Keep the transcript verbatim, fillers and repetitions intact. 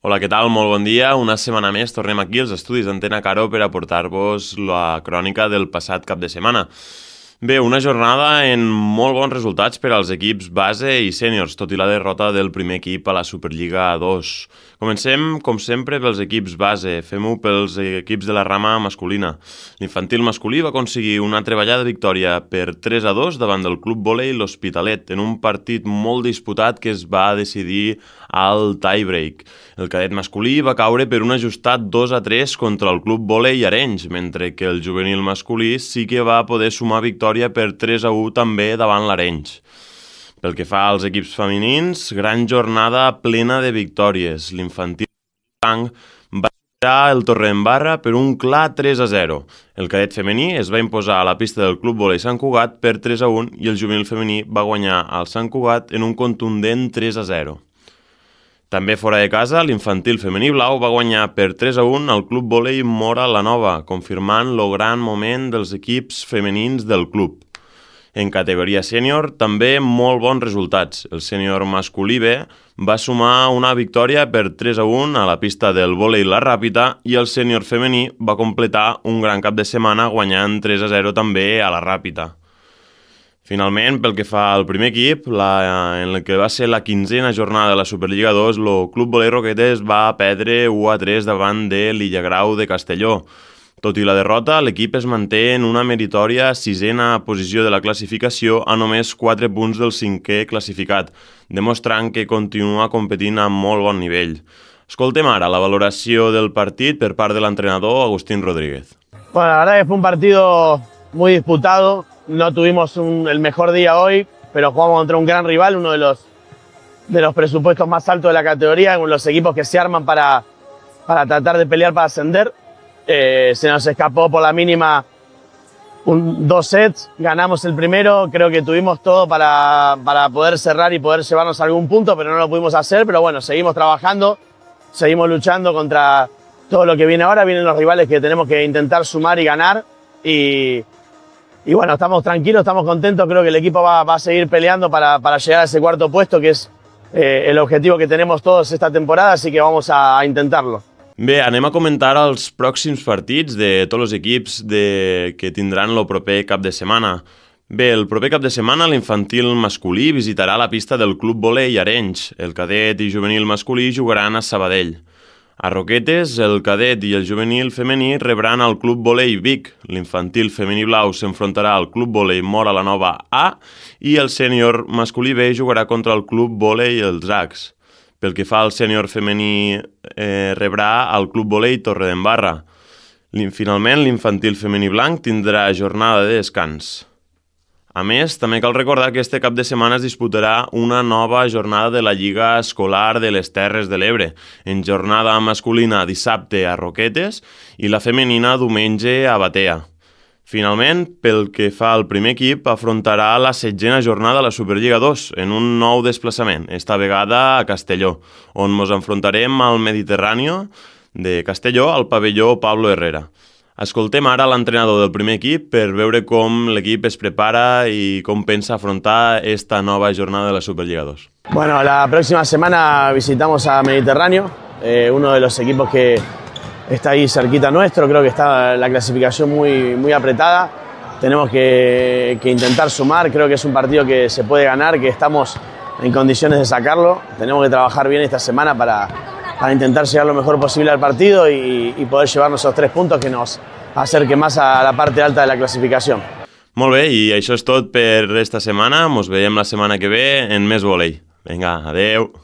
Hola, què tal? Molt bon dia. Una setmana més tornem aquí als estudis d'Antena Caro per aportar-vos la crònica del passat cap de setmana. Bé, una jornada en molt bons resultats per als equips base i sèniors, tot i la derrota del primer equip a la Superliga dos. Comencem, com sempre, pels equips base. Fem-ho pels equips de la rama masculina. L'infantil masculí va aconseguir una treballada victòria per tres a dos davant del Club Vòlei L'Hospitalet, en un partit molt disputat que es va decidir al tie-break. El cadet masculí va caure per un ajustat dos a tres contra el Club Vòlei Arenys, mentre que el juvenil masculí sí que va poder sumar victòria per tres a u també davant l'Arenys. Pel que fa als equips femenins, gran jornada plena de victòries. L'infantil blanc va superar el Torredembarra per un clar tres a zero. El cadet femení es va imposar a la pista del Club Vòlei Sant Cugat per tres a un i el juvenil femení va guanyar al Sant Cugat en un contundent tres a zero. També fora de casa, l'infantil femení blau va guanyar per tres a un al Club Vòlei Móra la Nova, confirmant el gran moment dels equips femenins del club. En categoria sènior, també molt bons resultats. El sènior masculí B va sumar una victòria per tres a un a la pista del Vòlei La Ràpita i el sènior femení va completar un gran cap de setmana guanyant tres a zero també a la Ràpita. Finalment, pel que fa al primer equip, la, en el que va ser la quinzena jornada de la Superliga dos, el Club Vòlei Roquetes va perdre u a tres davant de l'Illagrau de Castelló. Tot i la derrota, l'equip es manté en una meritòria sisena posició de la classificació a només quatre punts del cinquè classificat, demostrant que continua competint a molt bon nivell. Escoltem ara la valoració del partit per part de l'entrenador Agustín Rodríguez. Bueno, la verdad que fue un partido muy disputado. No tuvimos un, el mejor día hoy, pero jugamos contra un gran rival, uno de los, de los presupuestos más altos de la categoría, con los equipos que se arman para, para tratar de pelear para ascender. Eh, se nos escapó por la mínima un, dos sets, ganamos el primero, creo que tuvimos todo para, para poder cerrar y poder llevarnos a algún punto, pero no lo pudimos hacer. Pero bueno, seguimos trabajando, seguimos luchando contra todo lo que viene ahora. Vienen los rivales que tenemos que intentar sumar y ganar. Y, y bueno, estamos tranquilos, estamos contentos. Creo que el equipo va, va a seguir peleando para, para llegar a ese cuarto puesto, que es eh, el objetivo que tenemos todos esta temporada, así que vamos a, a intentarlo. Bé, anem a comentar els pròxims partits de tots els equips de... que tindran el proper cap de setmana. Bé, el proper cap de setmana l'infantil masculí visitarà la pista del Club Vòlei Arenys. El cadet i juvenil masculí jugaran a Sabadell. A Roquetes, el cadet i el juvenil femení rebran al Club Vòlei Vic. L'infantil femení blau s'enfrontarà al Club Vòlei Móra la Nova A i el sènior masculí B jugarà contra el Club Vòlei Els Acs. Pel que fa al sènior femení, eh, rebrà al Club Vòlei Torredembarra. Finalment, l'infantil femení blanc tindrà jornada de descans. A més, també cal recordar que este cap de setmana es disputarà una nova jornada de la Lliga Escolar de les Terres de l'Ebre, en jornada masculina dissabte a Roquetes i la femenina diumenge a Batea. Finalment, pel que fa al primer equip, afrontarà la setzena jornada de la Superliga dos en un nou desplaçament, esta vegada a Castelló, on ens enfrontarem al Mediterrani de Castelló al pavelló Pablo Herrera. Escoltem ara l'entrenador del primer equip per veure com l'equip es prepara i com pensa afrontar esta nova jornada de la Superliga dos. Bueno, la próxima semana visitamos a Mediterráneo, eh, uno de los equipos que está ahí cerquita nuestro. Creo que está la clasificación muy, muy apretada. Tenemos que, que intentar sumar. Creo que es un partido que se puede ganar, que estamos en condiciones de sacarlo. Tenemos que trabajar bien esta semana para, para intentar llegar lo mejor posible al partido y, y poder llevarnos esos tres puntos que nos acerquen más a la parte alta de la clasificación. Molt bé, i això és tot per esta setmana. Ens veiem la setmana que ve en més vòlei. Vinga, adeu!